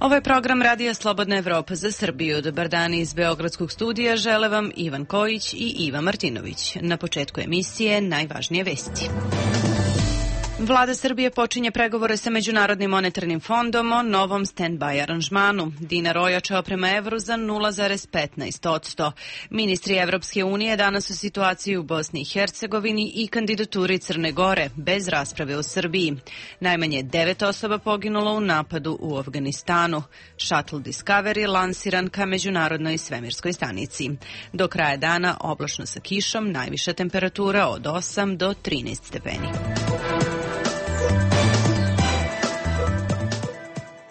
Ovo je program Radija Slobodna Evropa za Srbiju. Dobar dan iz Beogradskog studija. Žele vam Ivan Kojić i Iva Martinović. Na početku emisije najvažnije vesti. Vlada Srbije počinje pregovore sa Međunarodnim monetarnim fondom o novom stand-by aranžmanu. Dinar ojačao prema evru za 0,15%. Ministri Evropske unije danas u situaciji u Bosni i Hercegovini i kandidaturi Crne Gore, bez rasprave o Srbiji. Najmanje 9 osoba poginulo u napadu u Afganistanu. Shuttle Discovery lansiran ka Međunarodnoj svemirskoj stanici. Do kraja dana oblačno sa kišom, najviša temperatura od 8 do 13 stepeni.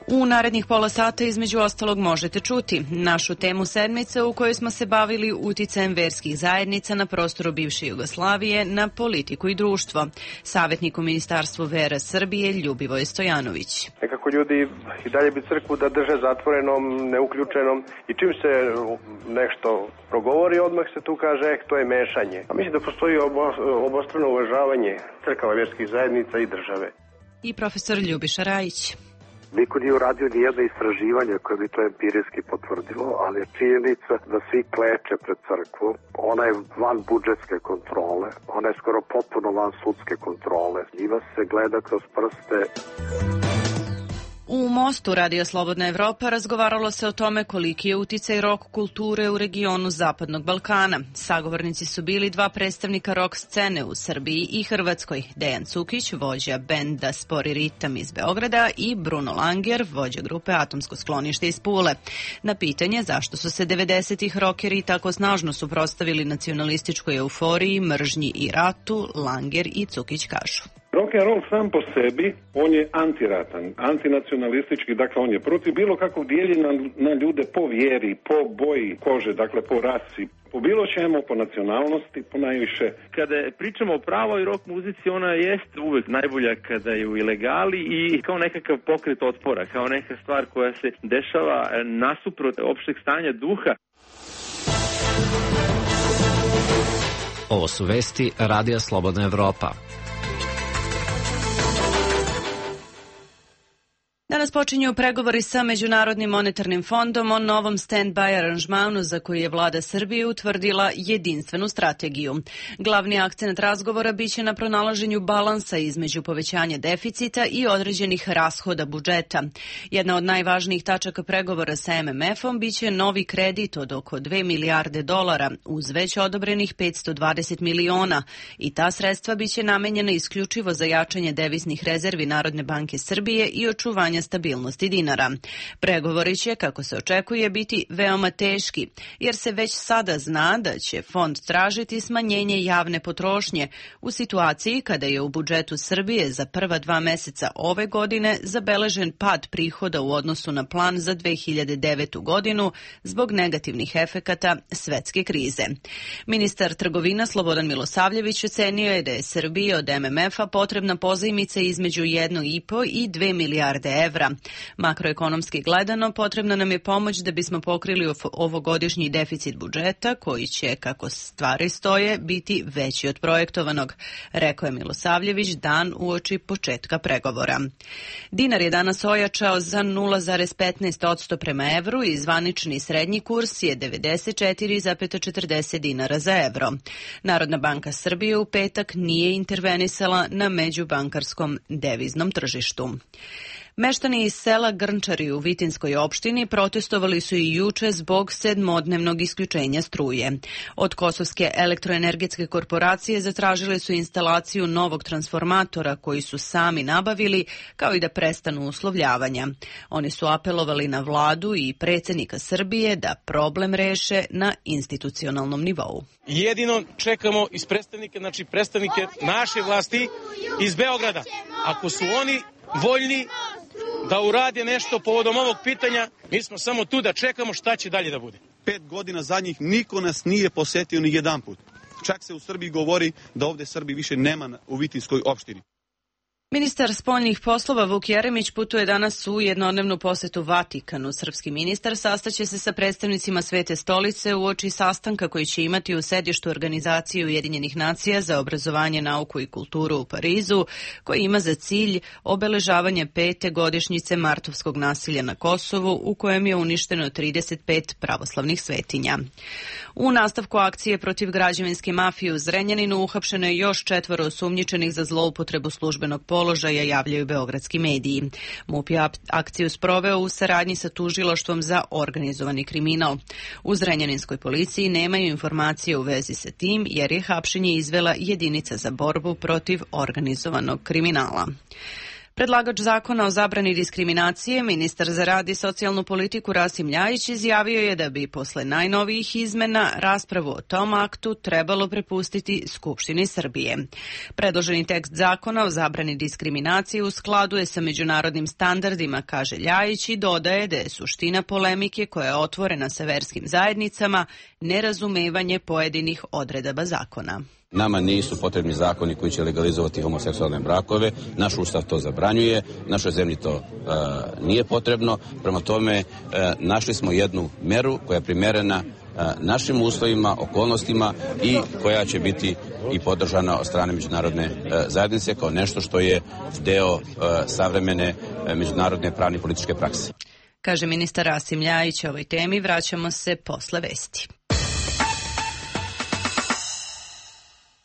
U narednih pola sata između ostalog možete čuti našu temu sedmice u kojoj smo se bavili uticajem verskih zajednica na prostoru bivše Jugoslavije na politiku i društvo. Savjetnik u Ministarstvu vera Srbije Ljubivoj Stojanović. Nekako ljudi i dalje bi crkvu da drže zatvorenom, neuključenom i čim se nešto progovori odmah se tu kaže to je mešanje. A mislim da postoji obostrano uvažavanje crkava verskih zajednica i države. I profesor Ljubiša Rajić. Niko nije uradio nijedno istraživanje koje bi to empirijski potvrdilo, ali je činjenica da svi kleče pred crkvom. Ona je van budžetske kontrole, ona je skoro potpuno van sudske kontrole. Njima se gleda kroz prste. U Mostu Radio Slobodna Evropa razgovaralo se o tome koliki je uticaj rock kulture u regionu Zapadnog Balkana. Sagovornici su bili dva predstavnika rock scene u Srbiji i Hrvatskoj, Dejan Cukić, vođa benda Spori ritam iz Beograda i Bruno Langer, vođa grupe Atomsko sklonište iz Pule. Na pitanje zašto su se 90-ih rockeri tako snažno suprotstavili nacionalističkoj euforiji, mržnji i ratu, Langer i Cukić kažu. Rock and roll sam po sebi, on je antiratan, antinacionalistički, dakle on je protiv bilo kakvog dijeljenja na ljude po vjeri, po boji kože, dakle po rasi, po bilo čemu, po nacionalnosti, po najviše. Kada pričamo o pravoj rock muzici, ona jest uvek najbolja kada je u ilegali i kao nekakav pokret otpora, kao neka stvar koja se dešava nasuprot opšteg stanja duha. Ovo su vesti Radija Slobodna Evropa. Danas počinju pregovori sa Međunarodnim monetarnim fondom o novom stand-by aranžmanu za koji je vlada Srbije utvrdila jedinstvenu strategiju. Glavni akcent razgovora biće na pronalaženju balansa između povećanja deficita i određenih rashoda budžeta. Jedna od najvažnijih tačaka pregovora sa MMF-om biće novi kredit od oko 2 milijarde dolara uz već odobrenih 520 miliona i ta sredstva biće namenjena isključivo za jačanje deviznih rezervi Narodne banke Srbije i očuvanje stabilnosti dinara. Pregovori će, kako se očekuje, biti veoma teški, jer se već sada zna da će fond tražiti smanjenje javne potrošnje u situaciji kada je u budžetu Srbije za prva 2 meseca ove godine zabeležen pad prihoda u odnosu na plan za 2009. godinu zbog negativnih efekata svetske krize. Ministar trgovina Slobodan Milosavljević ocenio je da je Srbiji od MMF-a potrebna pozajmica između 1,5 i 2 milijarde evra. Makroekonomski gledano, potrebna nam je pomoć da bismo pokrili ovogodišnji deficit budžeta, koji će, kako stvari stoje, biti veći od projektovanog, rekao je Milosavljević dan uoči početka pregovora. Dinar je danas ojačao za 0,15% prema evru i zvanični srednji kurs je 94,40 dinara za evro. Narodna banka Srbije u petak nije intervenisala na međubankarskom deviznom tržištu. Meštani iz sela Grnčari u Vitinskoj opštini protestovali su i juče zbog 7-dnevnog isključenja struje. Od Kosovske elektroenergetske korporacije zatražili su instalaciju novog transformatora koji su sami nabavili, kao i da prestanu uslovljavanja. Oni su apelovali na vladu i predsjednika Srbije da problem reše na institucionalnom nivou. Jedino čekamo iz predstavnike naše vlasti iz Beograda. Ako su oni voljni da urade nešto povodom ovog pitanja, mi smo samo tu da čekamo šta će dalje da bude. 5 godina zadnjih niko nas nije posetio ni jedan put. Čak se u Srbiji govori da ovde Srbi više nema u Vitinskoj opštini. Ministar spoljnih poslova Vuk Jeremić putuje danas u jednodnevnu posetu Vatikanu. Srpski ministar sastaće se sa predstavnicima Svete stolice uoči sastanka koji će imati u sedištu Organizacije Ujedinjenih nacija za obrazovanje, nauku i kulturu u Parizu, koji ima za cilj obeležavanje 5. godišnjice martovskog nasilja na Kosovu, u kojem je uništeno 35 pravoslavnih svetinja. U nastavku akcije protiv građevinske mafije u Zrenjaninu uhapšeno je još 4 osumnjičenih za zloupotrebu službenog položaja, javljaju beogradski mediji. MUP je akciju sproveo u saradnji sa tužilaštvom za organizovani kriminal. U zrenjaninskoj policiji nemaju informacije u vezi sa tim, jer je hapšenje izvela jedinica za borbu protiv organizovanog kriminala. Predlagač zakona o zabrani diskriminacije, ministar za rad i socijalnu politiku Rasim Ljajić, izjavio je da bi posle najnovijih izmena raspravu o tom aktu trebalo prepustiti Skupštini Srbije. Predloženi tekst zakona o zabrani diskriminacije u skladu je sa međunarodnim standardima, kaže Ljajić, i dodaje da je suština polemike koja je otvorena sa verskim zajednicama nerazumevanje pojedinih odredaba zakona. Nama nisu potrebni zakoni koji će legalizovati homoseksualne brakove, naš ustav to zabranjuje, našoj zemlji to nije potrebno, prema tome našli smo jednu meru koja je primerena našim uslovima, okolnostima i koja će biti i podržana od strane međunarodne zajednice kao nešto što je deo savremene međunarodne pravne i političke prakse. Kaže ministar Rasim Ljajić o ovoj temi, vraćamo se posle vesti.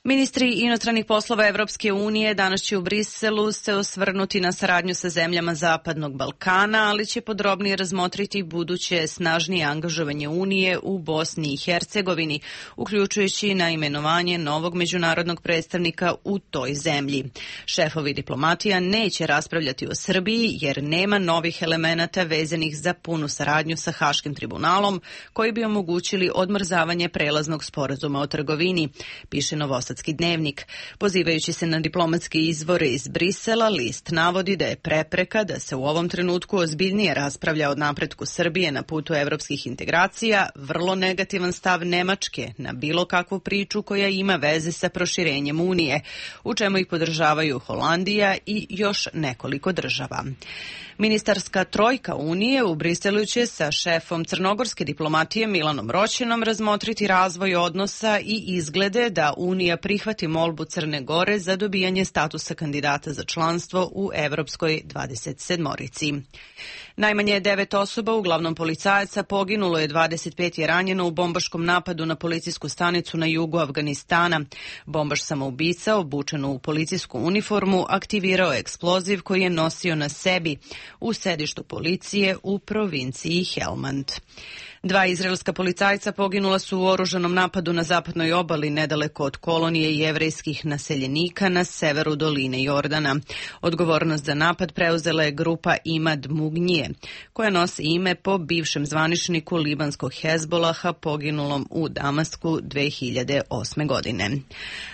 Ministri inostranih poslova Evropske unije danas će u Briselu se osvrnuti na saradnju sa zemljama Zapadnog Balkana, ali će podrobnije razmotriti buduće snažnije angažovanje Unije u Bosni i Hercegovini, uključujući na imenovanje novog međunarodnog predstavnika u toj zemlji. Šefovi diplomatija neće raspravljati o Srbiji jer nema novih elemenata vezanih za punu saradnju sa Haškim tribunalom koji bi omogućili odmrzavanje prelaznog sporazuma o trgovini, piše Novosadski dnevnik. Pozivajući se na diplomatske izvore iz Brisela, list navodi da je prepreka da se u ovom trenutku ozbiljnije raspravlja o napretku Srbije na putu evropskih integracija vrlo negativan stav Nemačke na bilo kakvu priču koja ima veze sa proširenjem Unije, u čemu ih podržavaju Holandija i još nekoliko država. Ministarska trojka Unije u Briselu će sa šefom crnogorske diplomatije Milanom Roćenom razmotriti razvoj odnosa i izglede da Unija prihvati molbu Crne Gore za dobijanje statusa kandidata za članstvo u Evropskoj 27-orici. Najmanje 9 osoba, uglavnom policajaca, poginulo je, 25 je ranjeno u bombaškom napadu na policijsku stanicu na jugu Afganistana. Bombaš samoubica, obučen u policijsku uniformu, aktivirao je eksploziv koji je nosio na sebi u sedištu policije u provinciji Helmand. 2 izraelska policajca poginula su u oružanom napadu na zapadnoj obali nedaleko od kolonije jevrejskih naseljenika na severu doline Jordana. Odgovornost za napad preuzela je grupa Imad Mugnije, koja nosi ime po bivšem zvaničniku libanskog Hezbolaha poginulom u Damasku 2008. godine.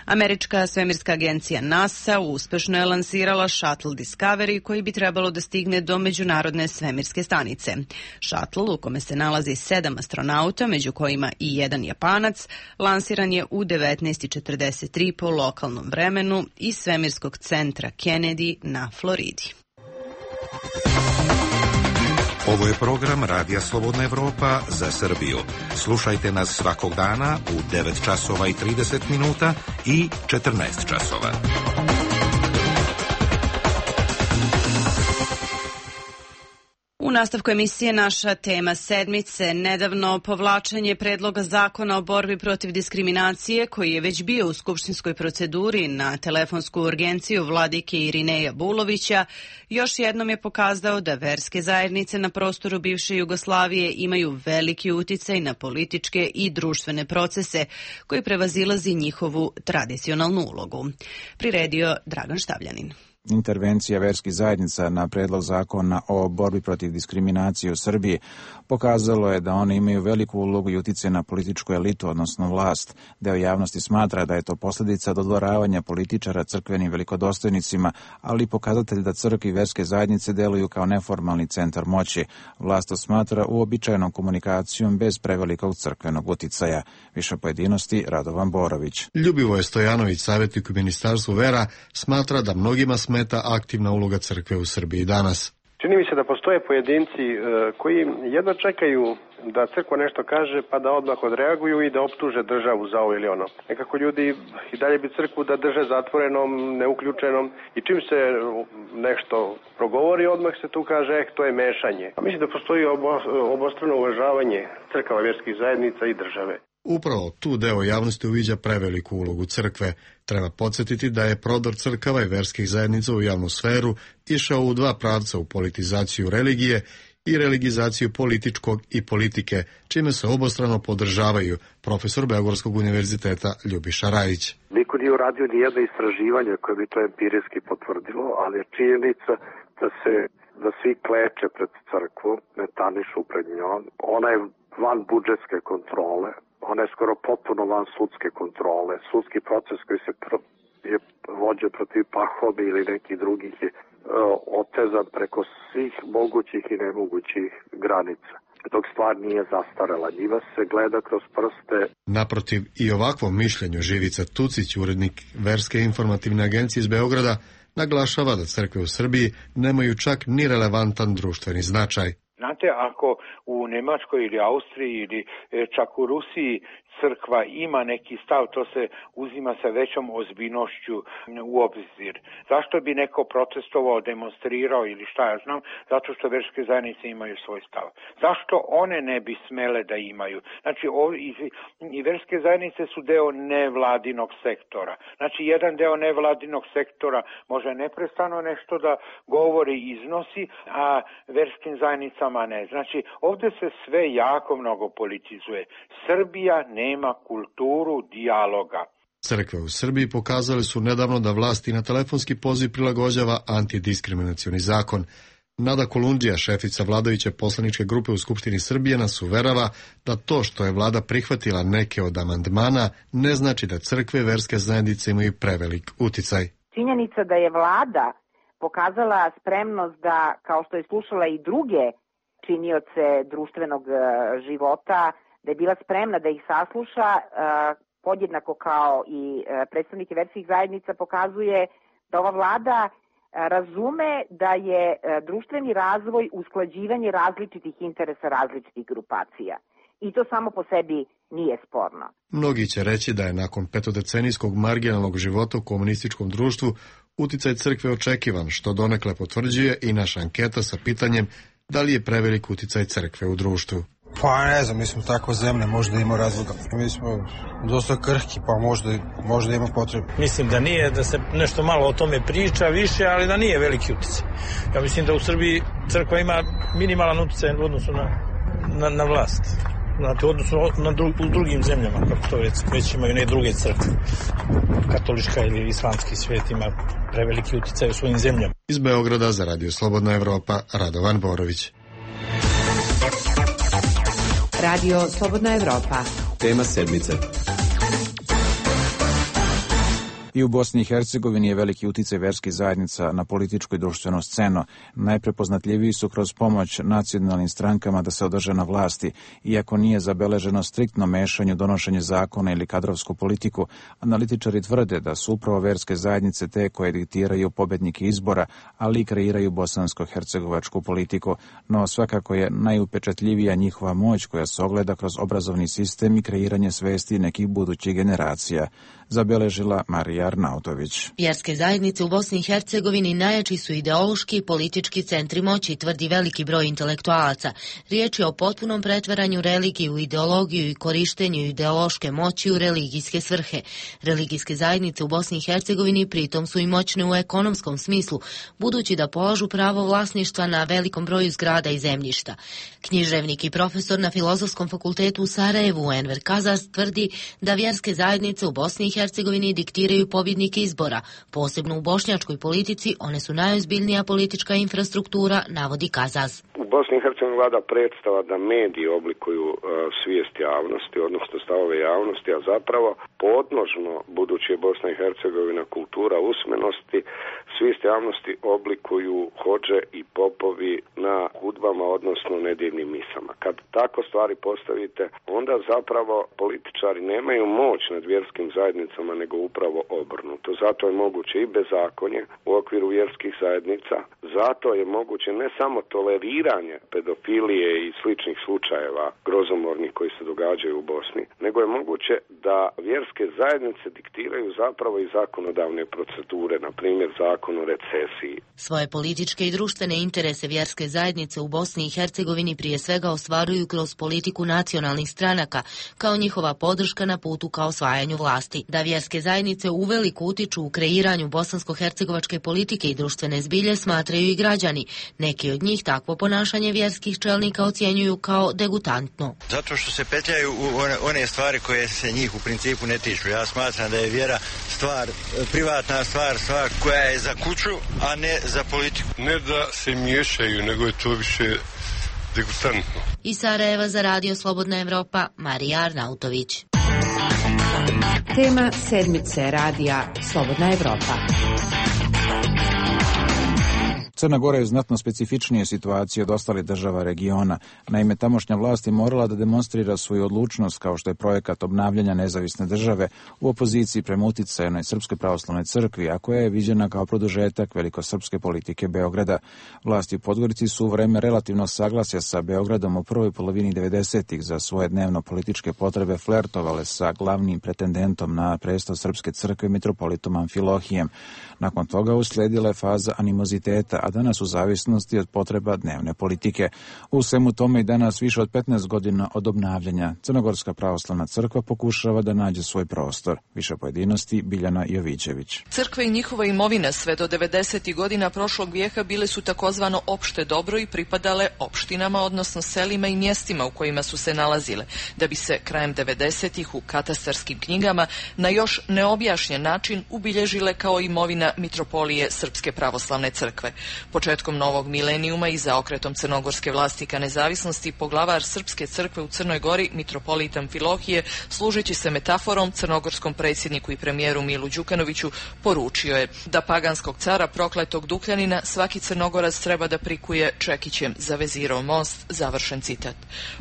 Američka svemirska agencija NASA uspešno je lansirala Shuttle Discovery koji bi trebalo da stigne do međunarodne svemirske stanice. Shuttle, u kome se nalazi 7 astronauta, među kojima i jedan Japanac, lansiran je u 19:43 po lokalnom vremenu iz svemirskog centra Kennedy na Floridi. Ovo je program Radija Slobodna Evropa za Srbiju. Slušajte nas svakog dana u 9 časova i 30 minuta i 14 časova. U nastavku emisije naša tema sedmice, nedavno povlačenje predloga zakona o borbi protiv diskriminacije koji je već bio u skupštinskoj proceduri na telefonsku urgenciju vladike Irineja Bulovića, još jednom je pokazao da verske zajednice na prostoru bivše Jugoslavije imaju veliki uticaj na političke i društvene procese koji prevazilazi njihovu tradicionalnu ulogu. Priredio Dragan Štavljanin. Intervencija verskih zajednica na predlog zakona o borbi protiv diskriminacije u Srbiji pokazalo je da one imaju veliku ulogu i uticaj na političku elitu, odnosno vlast. Deo javnosti smatra da je to posljedica dodvoravanja političara crkvenim velikodostojnicima, ali i pokazatelj da crkve i verske zajednice deluju kao neformalni centar moći. Vlast to smatra uobičajenom komunikacijom bez prevelikog crkvenog uticaja. Više pojedinosti Radovan Borović. Ljubivoje Stojanović, savjetnik u Ministarstvu vera, smatra da mnogima smeta ometa aktivna uloga crkve u Srbiji danas. Čini mi se da postoje pojedinci koji jedva čekaju da crkva nešto kaže pa da odmah odreaguju i da optuže državu za ovo ili ono. Nekako ljudi i dalje bi crkvu da drže zatvorenom, neuključenom i čim se nešto progovori odmah se tu kaže to je mešanje. A mislim da postoji obostrano uvažavanje crkava, vjerskih zajednica i države. Upravo tu deo javnosti uviđa preveliku ulogu crkve. Treba podsjetiti da je prodor crkava i verskih zajednica u javnu sferu išao u dva pravca, u politizaciju religije i religizaciju političkog i politike, čime se obostrano podržavaju, profesor Beogradskog univerziteta Ljubiša Rajić. Niko nije uradio ni jedno istraživanje koje bi to empirijski potvrdilo, ali je činjenica da svi kleče pred crkvom, metanišu pred njom. Ona je van budžetske kontrole. Ona je skoro potpuno van sudske kontrole. Sudski proces koji se je vođen protiv Pahome ili nekih drugih je otezan preko svih mogućih i nemogućih granica. Dok stvar nije zastarela, njima se gleda kroz prste. Naprotiv, i ovakvom mišljenju Živica Tucić, urednik Verske informativne agencije iz Beograda, naglašava da crkve u Srbiji nemaju čak ni relevantan društveni značaj. Znate, ako u Nemačkoj ili Austriji ili čak u Rusiji crkva ima neki stav, to se uzima sa većom ozbiljnošću u obzir. Zašto bi neko protestovao, demonstrirao ili šta ja znam? Zato što verske zajednice imaju svoj stav. Zašto one ne bi smele da imaju? Znači, i verske zajednice su deo nevladinog sektora. Znači, jedan deo nevladinog sektora može neprestano nešto da govori i iznosi, a verskim zajednicama ne. Znači, ovdje se sve jako mnogo politizuje. Srbija nema kulturu dijaloga. Crkve u Srbiji pokazali su nedavno da vlast i na telefonski poziv prilagođava antidiskriminacioni zakon. Nada Kolundžija, šefica vladajuće poslaničke grupe u Skupštini Srbije, nas uverava da to što je vlada prihvatila neke od amandmana ne znači da crkve i verske zajednice imaju prevelik uticaj. Činjenica da je vlada pokazala spremnost da, kao što je slušala i druge činioce društvenog života, da je bila spremna da ih sasluša, podjednako kao i predstavnike verskih zajednica, pokazuje da ova vlada razume da je društveni razvoj usklađivanje različitih interesa različitih grupacija. I to samo po sebi nije sporno. Mnogi će reći da je nakon petodecenijskog marginalnog života u komunističkom društvu uticaj crkve očekivan, što donekle potvrđuje i naša anketa sa pitanjem da li je prevelik uticaj crkve u društvu. Pa ne znam, mi smo takva zemlja, možda ima razloga. Mi smo dosta krhki, pa možda ima potrebe. Mislim da nije, da se nešto malo o tome priča više, ali da nije veliki uticaj. Ja mislim da u Srbiji crkva ima minimalan uticaj u odnosu na vlast. Znate, u odnosu u drugim zemljama, kako to već imaju ne druge crkve. Katolička ili islamski svijet ima preveliki uticaj u svojim zemljama. Iz Beograda za Radio Slobodna Evropa, Radovan Borović. Radio Slobodna Evropa. Tema sedmice. I u Bosni i Hercegovini je veliki uticaj verskih zajednica na političku i društvenu scenu. Najprepoznatljiviji su kroz pomoć nacionalnim strankama da se održe na vlasti, iako nije zabeleženo striktno mešanje u donošenje zakona ili kadrovsku politiku. Analitičari tvrde da su upravo verske zajednice te koje diktiraju pobednike izbora, ali i kreiraju bosansko-hercegovačku politiku. No svakako je najupečatljivija njihova moć koja se ogleda kroz obrazovni sistem i kreiranje svesti nekih budućih generacija, zabeležila Marija Arnautović. Vjerske zajednice u Bosni i Hercegovini najjači su ideološki i politički centri moći, tvrdi veliki broj intelektualaca. Riječ je o potpunom pretvaranju religije u ideologiju i korištenju ideološke moći u religijske svrhe. Religijske zajednice u Bosni i Hercegovini pritom su i moćne u ekonomskom smislu, budući da polažu pravo vlasništva na velikom broju zgrada i zemljišta. Književnik i profesor na Filozofskom fakultetu u Sarajevu, Enver Kazas, tvrdi da vjerske zajednice u Bosni i Hercegovini diktiraju pobjednike izbora. Posebno u bošnjačkoj politici one su najozbiljnija politička infrastruktura, navodi Kazas. U Bosni i Hercegovini vlada predstava da mediji oblikuju svijest javnosti, odnosno stavove javnosti, a zapravo podnožno, budući je Bosna i Hercegovina kultura usmenosti, svijest javnosti oblikuju hodže i popovi na hudbama, odnosno nedjeljnim misama. Kad tako stvari postavite, onda zapravo političari nemaju moć nad vjerskim zajednicama, nego upravo obrnuto. Zato je moguće i bezakonje u okviru vjerskih zajednica, zato je moguće ne samo toleriranje pedofilije i sličnih slučajeva grozomornih koji se događaju u Bosni, nego je moguće da vjerske zajednice diktiraju zapravo i zakonodavne procedure, na primjer zakon o recesiji. Svoje političke i društvene interese vjerske zajednice u Bosni i Hercegovini prije svega ostvaruju kroz politiku nacionalnih stranaka, kao njihova podrška na putu ka osvajanju vlasti. Da vjerske zajednice uveliko utiču u kreiranju bosansko-hercegovačke politike i društvene zbilje smatraju i građani. Neki od njih takvo ponašanje vjerskih čelnika ocjenjuju kao degutantno. Zato što se petljaju u one stvari koje se njih u principu ne tiču. Ja smatram da je vjera stvar, privatna stvar koja je za kuću, a ne za politiku. Ne da se miješaju, nego je to više degutantno. Iz Sarajeva za Radio Slobodna Evropa, Marija Arnautović. Tema sedmice Radija Slobodna Evropa. Crna Gora je u znatno specifičnije situacije od ostalih država regiona. Naime, tamošnja vlast je morala da demonstrira svoju odlučnost, kao što je projekat obnavljanja nezavisne države, u opoziciji prema uticajnoj Srpskoj pravoslavnoj crkvi, a koja je viđena kao produžetak velikosrpske politike Beograda. Vlasti u Podgorici su u vreme relativno saglasja sa Beogradom u prvoj polovini 90-ih za svoje dnevno političke potrebe flertovale sa glavnim pretendentom na presto Srpske crkve, mitropolitom Amfilohijem. Nakon toga uslijedila je faza animoziteta, a danas u zavisnosti od potreba dnevne politike. U svemu tome i danas više od 15 godina od obnavljanja Crnogorska pravoslavna crkva pokušava da nađe svoj prostor. Više pojedinosti Biljana Jovićević. Crkva i njihova imovina sve do 90. godina prošlog vijeka bile su takozvano opšte dobro i pripadale opštinama, odnosno selima i mjestima u kojima su se nalazile, da bi se krajem 90-ih u katastarskim knjigama na još neobjašnjen način ubilježile kao imovina mitropolije Srpske pravoslavne crkve. Početkom novog milenijuma i zaokretom crnogorske vlasti ka nezavisnosti, poglavar Srpske crkve u Crnoj Gori, mitropolit Amfilohije, služeći se metaforom crnogorskom predsjedniku i premijeru Milu Đukanoviću, poručio je da paganskog cara prokletog Dukljanina svaki Crnogorac treba da prikuje čekićem za Vezirov most, završen citat.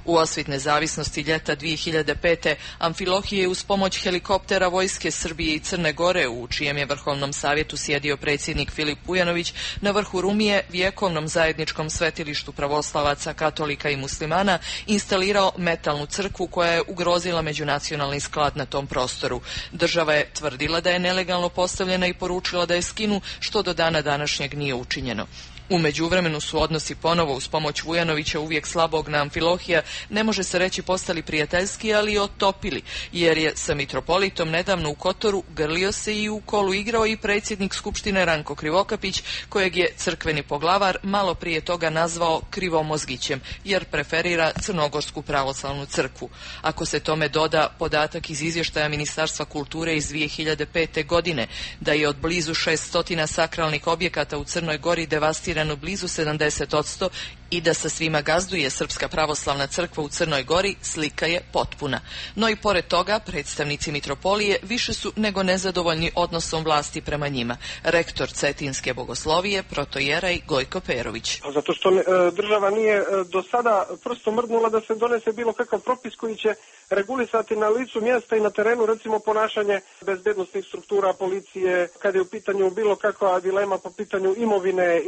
U osvit nezavisnosti ljeta 2005. Amfilohije je uz pomoć helikoptera vojske Srbije i Crne Gore, u čijem je vrhovnom savjetu sjedio predsjednik Filip Vujanović, na vrhu Rumije, vjekovnom zajedničkom svetilištu pravoslavaca, katolika i muslimana, instalirao metalnu crkvu koja je ugrozila međunacionalni sklad na tom prostoru. Država je tvrdila da je nelegalno postavljena i poručila da je skinu, što do dana današnjeg nije učinjeno. U međuvremenu su odnosi ponovo uz pomoć Vujanovića, uvijek slabog na Amfilohija, ne može se reći postali prijateljski, ali i otopili, jer je sa mitropolitom nedavno u Kotoru grlio se i u kolu igrao i predsjednik Skupštine Ranko Krivokapić, kojeg je crkveni poglavar malo prije toga nazvao krivomozgićem, jer preferira Crnogorsku pravoslavnu crkvu. Ako se tome doda podatak iz izvještaja Ministarstva kulture iz 2005. godine, da je od blizu 600 sakralnih objekata u Crnoj Gori devastirano blizu 70% i da sa svima gazduje Srpska pravoslavna crkva u Crnoj Gori, slika je potpuna. No i pored toga, predstavnici mitropolije više su nego nezadovoljni odnosom vlasti prema njima. Rektor Cetinske bogoslovije, protojeraj Gojko Perović. Zato što država nije do sada prosto mrdnula da se donese bilo kakav propis koji će regulisati na licu mjesta i na terenu, recimo ponašanje bezbednosnih struktura, policije, kada je u pitanju bilo kakva dilema po pitanju imovine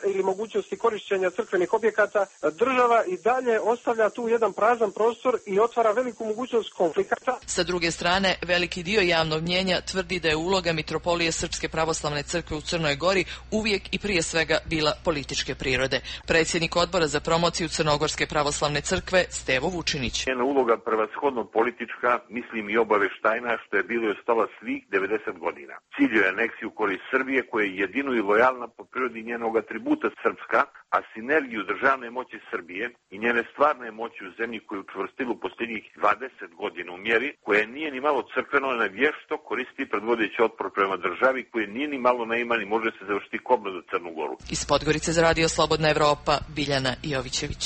ili mogućnosti korišćenja crkvenih objekata. Država i dalje ostavlja tu jedan prazan prostor i otvara veliku mogućnost konflikata. Sa druge strane, veliki dio javnog mnjenja tvrdi da je uloga mitropolije Srpske pravoslavne crkve u Crnoj Gori uvijek i prije svega bila političke prirode. Predsjednik odbora za promociju Crnogorske pravoslavne crkve Stevo Vučinić. Njena uloga prvashodno politička, mislim i obaveštajna, što je bilo i ostala svih 90 godina. Cilj je aneksiju u korist Srbije, koja je jedino i lojalna po prirodi njenog atributa srpska, a sinergiju državne moći Srbije i njene stvarne moći u zemlji koju učvrstilu posljednjih 20 godina u mjeri, koja nije ni malo crkveno, ne vješto koristi predvodeći otpor prema državi, koje nije ni malo neiman i može se završiti kobno za Crnu Goru. Iz Podgorice za Radio Slobodna Evropa, Biljana Jovićević.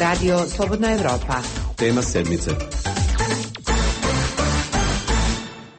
Radio Slobodna Evropa. Tema sedmice.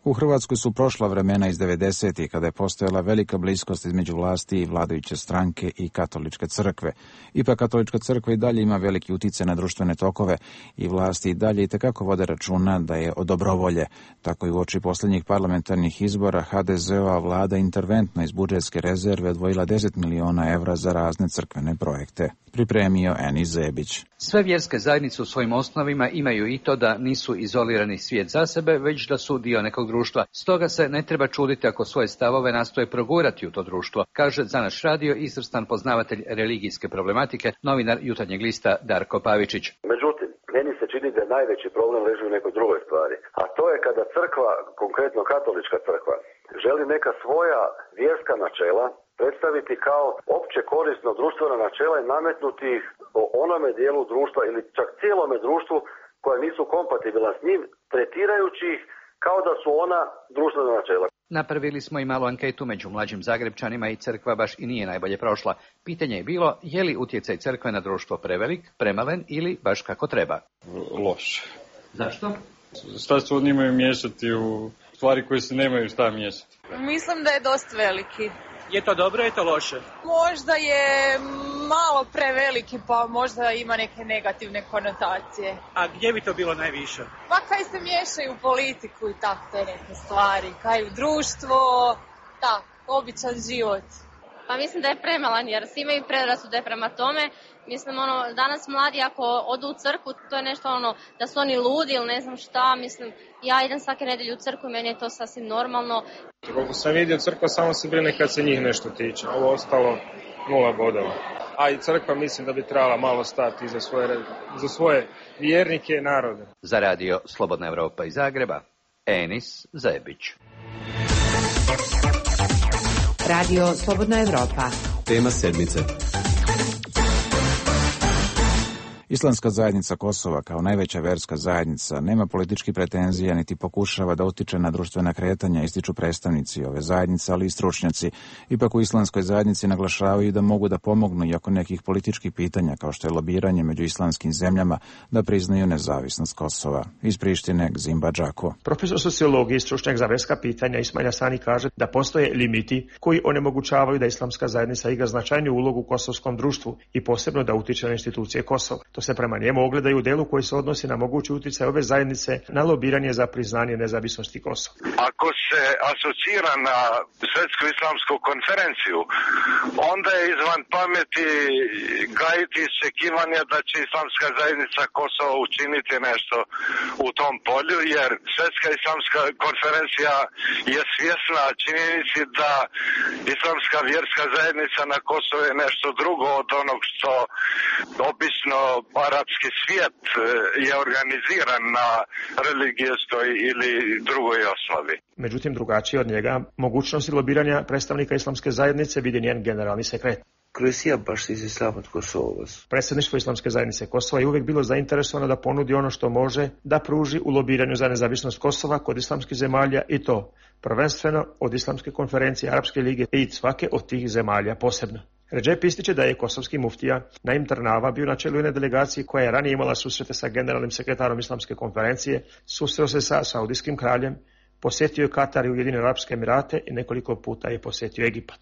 U Hrvatskoj su prošla vremena iz 90-ih kada je postojala velika bliskost između vlasti i vladajuće stranke i katoličke crkve. Ipak katolička crkva i dalje ima veliki utjecaj na društvene tokove i vlasti i dalje itekako vode računa da je od dobrovolje. Tako i uoči posljednjih parlamentarnih izbora HDZ-ova vlada interventno iz budžetske rezerve odvojila 10 miliona evra za razne crkvene projekte. Pripremio Enis Zebić. Sve vjerske zajednice u svojim osnovima imaju i to da nisu izolirani svijet za sebe, već da su dio nekog društva. Stoga se ne treba čuditi ako svoje stavove nastoje progurati u to društvo, kaže za naš radio izvrstan poznavatelj religijske problematike, novinar Jutarnjeg lista Darko Pavičić. Međutim, meni se čini da najveći problem leži u nekoj drugoj stvari, a to je kada crkva, konkretno katolička crkva, želi neka svoja vjerska načela predstaviti kao opće korisno društvena načela i nametnuti ih o onome dijelu društva ili čak cijelome društvu koja nisu kompatibilna s njim, tretirajući ih kao da su ona društvena načela. Napravili smo i malu anketu među mlađim Zagrebčanima i crkva baš i nije najbolje prošla. Pitanje je bilo je li utjecaj crkve na društvo prevelik, premalen ili baš kako treba. Loš. Zašto? Šta se oni imaju miješati u stvari koje se nemaju šta miješati? Mislim da je dosta veliki. Je to dobro, je to loše? Možda je malo preveliki, pa možda ima neke negativne konotacije. A gdje bi to bilo najviše? Pa kaj se miješaju u politiku i tako te neke stvari, kaj u društvo, tak, običan život. Pa mislim da je premalan jer svi imaju predrasude prema tome. Mislim, danas mladi ako odu u crkvu, to je nešto da su oni ludi ili ne znam šta, mislim, ja idem svake nedjelje u crkvu i meni je to sasvim normalno. Koliko sam vidio, crkva samo se brine kad se njih nešto tiče, ovo ostalo 0 bodova. A i crkva mislim da bi trebala malo stati za svoje vjernike i narode. Za radio Slobodna Evropa iz Zagreba, Enis Zebić. Radio Slobodna Evropa. Tema sedmice. Islamska zajednica Kosova kao najveća verska zajednica nema političkih pretenzija niti pokušava da utiče na društvena kretanja, ističu predstavnici ove zajednice, ali i stručnjaci. Ipak u islamskoj zajednici naglašavaju da mogu da pomognu i oko nekih političkih pitanja kao što je lobiranje među islamskim zemljama da priznaju nezavisnost Kosova. Iz Prištine Gzimba Džako. Profesor sociologije i stručnjak za verska pitanja Ismail Asani kaže da postoje limiti koji onemogućavaju da islamska zajednica igra značajniju ulogu u kosovskom društvu i posebno da utiče na institucije Kosova. To se prema njemu ogledaju u delu koji se odnosi na mogući utjecaj ove zajednice na lobiranje za priznanje nezavisnosti Kosova. Ako se asocira na Svjetsku islamsku konferenciju, onda je izvan pameti gajiti iščekivanje da će islamska zajednica Kosova učiniti nešto u tom polju, jer Svjetska islamska konferencija je svjesna činjenici da islamska vjerska zajednica na Kosovu je nešto drugo od onog što obično arapski svijet je organiziran na religijskoj ili drugoj osnovi. Međutim, drugačije od njega, mogućnosti lobiranja predstavnika islamske zajednice vidi njen generalni sekretar. Predsjedništvo Islamske zajednice Kosova je uvijek bilo zainteresovano da ponudi ono što može da pruži u lobiranju za nezavisnost Kosova kod islamskih zemalja i to prvenstveno od Islamske konferencije Arapske lige i svake od tih zemalja posebno. Redžep ističe da je kosovski muftija Naim Trnava bio na čelu jedne delegacije koja je ranije imala susrete sa generalnim sekretarom Islamske konferencije, susreo se sa saudijskim kraljem, posjetio je Katar i Ujedinjene Arapske Emirate i nekoliko puta je posjetio Egipat.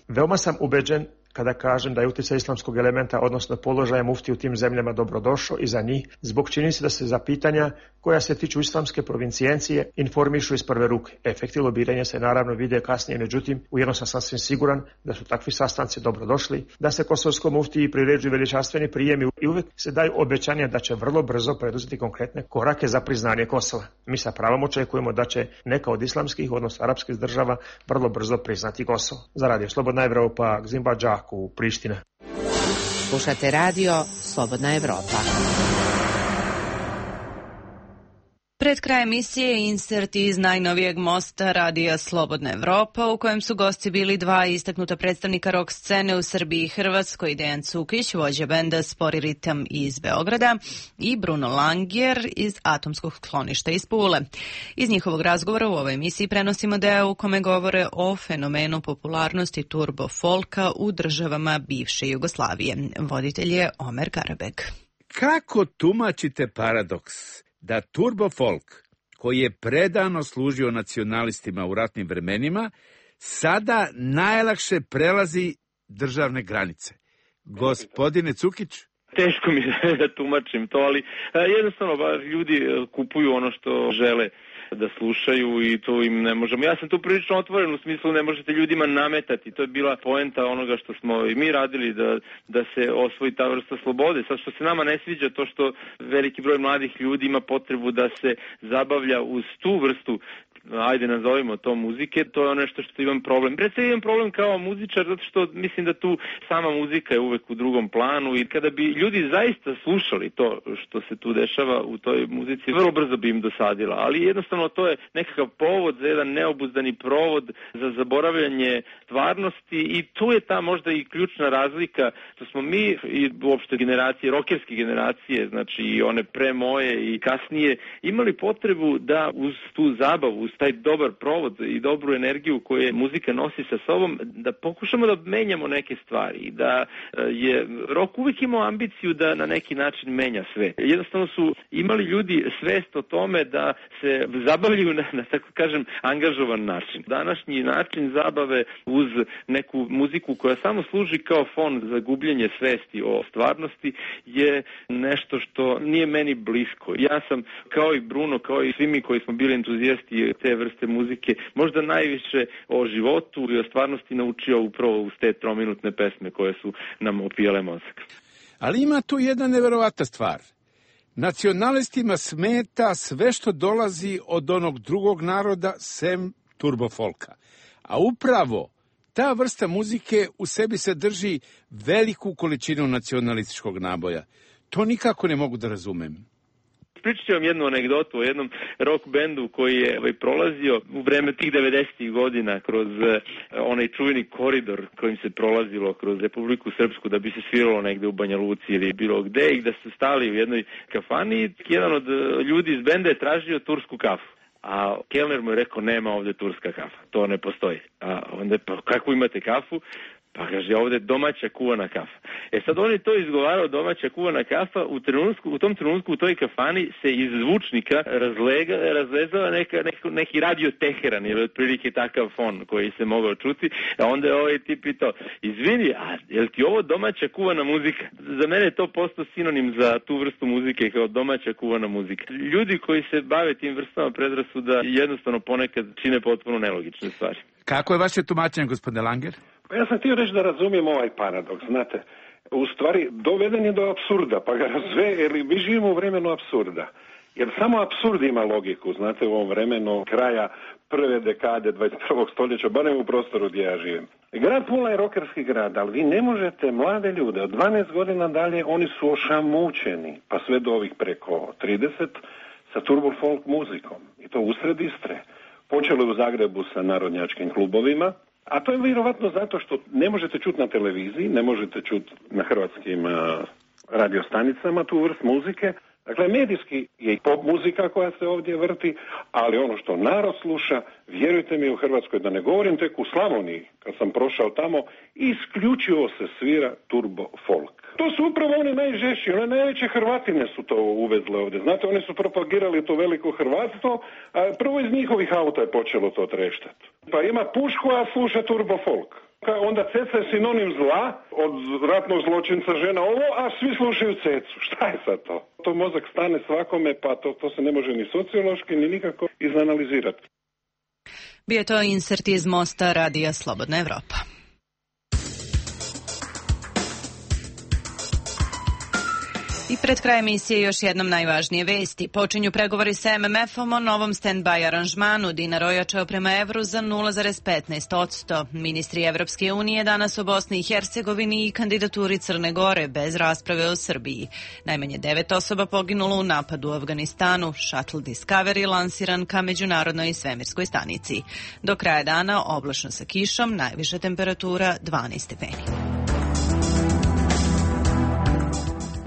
Veoma sam ubeđen kada kažem da je utjecaj islamskog elementa, odnosno položaja mufti u tim zemljama dobrodošao i za njih, zbog čini se da se za pitanja koja se tiču islamske provincijencije informišu iz prve ruke. Efekti lobiranja se naravno vide kasnije, međutim, ujedno sam sasvim siguran da su takvi sastanci dobrodošli, da se kosovskom muftiji priređuju veličanstveni prijemi i uvijek se daju obećanja da će vrlo brzo preduzeti konkretne korake za priznanje Kosova. Mi sa pravom očekujemo da će neka od islamskih, odnosno arapskih država vrlo brzo priznati Kosovo. Za radio Slobodna Evropa, Gzimba Džaku, Priština. Slušate radio Slobodna Evropa. Pred kraj emisije insert iz najnovijeg mosta radija Slobodna Evropa, u kojem su gosti bili dva istaknuta predstavnika rock scene u Srbiji i Hrvatskoj, Dejan Cukić, vođa benda Spori ritam iz Beograda, i Bruno Langer iz Atomskog skloništa iz Pule. Iz njihovog razgovora u ovoj emisiji prenosimo deo u kome govore o fenomenu popularnosti turbo folka u državama bivše Jugoslavije. Voditelj je Omer Karabek. Kako tumačite paradoks da turbo folk, koji je predano služio nacionalistima u ratnim vremenima, sada najlakše prelazi državne granice? Gospodine Cukić? Teško mi je da tumačim to, ali jednostavno ljudi kupuju ono što žele da slušaju i to im ne možemo. Ja sam tu prilično otvoren u smislu ne možete ljudima nametati. To je bila poenta onoga što smo i mi radili da se osvoji ta vrsta slobode. Sad što se nama ne sviđa to što veliki broj mladih ljudi ima potrebu da se zabavlja uz tu vrstu, ajde nazovimo to muzike, to je ono što imam problem. Predstavljam imam problem kao muzičar zato što mislim da tu sama muzika je uvek u drugom planu i kada bi ljudi zaista slušali to što se tu dešava u toj muzici, vrlo brzo bi im dosadila, ali jednostavno to je nekakav povod za jedan neobuzdani provod za zaboravljanje stvarnosti i tu je ta možda i ključna razlika što smo mi i uopšte generacije, rokerske generacije, znači i one pre moje i kasnije, imali potrebu da uz tu zabavu, uz taj dobar provod i dobru energiju koju muzika nosi sa sobom, da pokušamo da menjamo neke stvari, da je rok uvijek imao ambiciju da na neki način menja sve. Jednostavno su imali ljudi svest o tome da se zabavljaju na tako kažem angažovan način. Današnji način zabave uz neku muziku koja samo služi kao fon za gubljenje svesti o stvarnosti je nešto što nije meni blisko. Ja sam kao i Bruno, kao i svi mi koji smo bili entuzijasti te vrste muzike, možda najviše o životu i o stvarnosti naučio upravo uz te 3-minutne pesme koje su nam opijale mozak. Ali ima tu jedna neverovatna stvar. Nacionalistima smeta sve što dolazi od onog drugog naroda sem turbofolka. A upravo ta vrsta muzike u sebi sadrži veliku količinu nacionalističkog naboja. To nikako ne mogu da razumem. Pričat ću vam jednu anegdotu o jednom rock bendu koji je prolazio u vreme tih 90-ih godina kroz onaj čuveni koridor kojim se prolazilo kroz Republiku Srpsku da bi se sviralo negde u Banja Luci ili bilo gde i da su stali u jednoj kafani i jedan od ljudi iz benda je tražio tursku kafu. A kelner mu je rekao nema ovde turska kafa, to ne postoji. A onda pa kako imate kafu? Pa kaže, ovdje je domaća kuvana kafa. Sad on je to izgovarao, domaća kuvana kafa, u tom trenutku u toj kafani se iz zvučnika razlezao neki radio Teheran ili otprilike takav fon koji se mogao čuti, a onda je ovaj tip pitao, izvini, a je li ti ovo domaća kuvana muzika? Za mene je to postao sinonim za tu vrstu muzike kao domaća kuvana muzika. Ljudi koji se bave tim vrstama predrasuda jednostavno ponekad čine potpuno nelogične stvari. Kako je vaše tumačenje, gospodine Langer? Ja sam htio reći da razumijem ovaj paradoks, znate, u stvari doveden je do apsurda, pa ga jer mi živimo u vremenu apsurda, jer samo apsurd ima logiku, znate, u ovom vremenu kraja prve dekade 21. stoljeća, barem u prostoru gdje ja živim. Grad Pula je rokerski grad, ali vi ne možete mlade ljude, od 12 godina dalje oni su ošamućeni, pa sve do ovih preko 30, sa turbo folk muzikom, i to usred Istre. Počelo je u Zagrebu sa narodnjačkim klubovima, a to je vjerovatno zato što ne možete čuti na televiziji, ne možete čuti na hrvatskim radiostanicama tu vrst muzike. Dakle, medijski je i pop muzika koja se ovdje vrti, ali ono što narod sluša, vjerujte mi u Hrvatskoj, da ne govorim tek u Slavoniji, kad sam prošao tamo, isključivo se svira turbo folk. To su upravo one najžešće, one najveće Hrvatine su to uvezle ovdje. Znate, oni su propagirali to veliko hrvatstvo, a prvo iz njihovih auta je počelo to treštati. Pa ima pušku, a sluša turbo folk. Onda ceca je sinonim zla, od ratnog zločinca žena ovo, a svi slušaju cecu. Šta je sad to? To mozak stane svakome, pa to se ne može ni sociološki, ni nikako izanalizirati. Bio je to insert iz Mosta radija Slobodna Evropa. I pred kraj emisije još jednom najvažnije vesti. Počinju pregovori sa MMF-om o novom stand-by aranžmanu. Dinar ojačao prema evru za 0,15%. Ministri Evropske unije danas u Bosni i Hercegovini i kandidaturi Crne Gore bez rasprave o Srbiji. Najmanje 9 osoba poginulo u napadu u Afganistanu. Shuttle Discovery lansiran ka međunarodnoj svemirskoj stanici. Do kraja dana oblačno sa kišom, najviša temperatura 12 stepeni.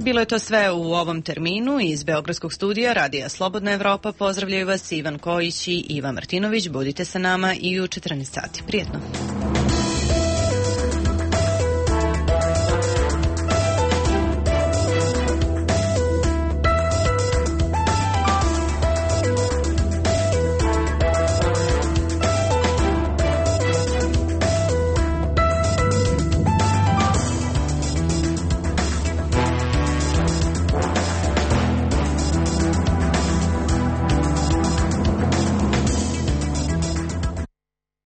Bilo je to sve u ovom terminu. Iz Beogradskog studija Radija Slobodna Evropa pozdravljaju vas Ivan Kojić i Iva Martinović. Budite sa nama i u 14 sati. Prijetno.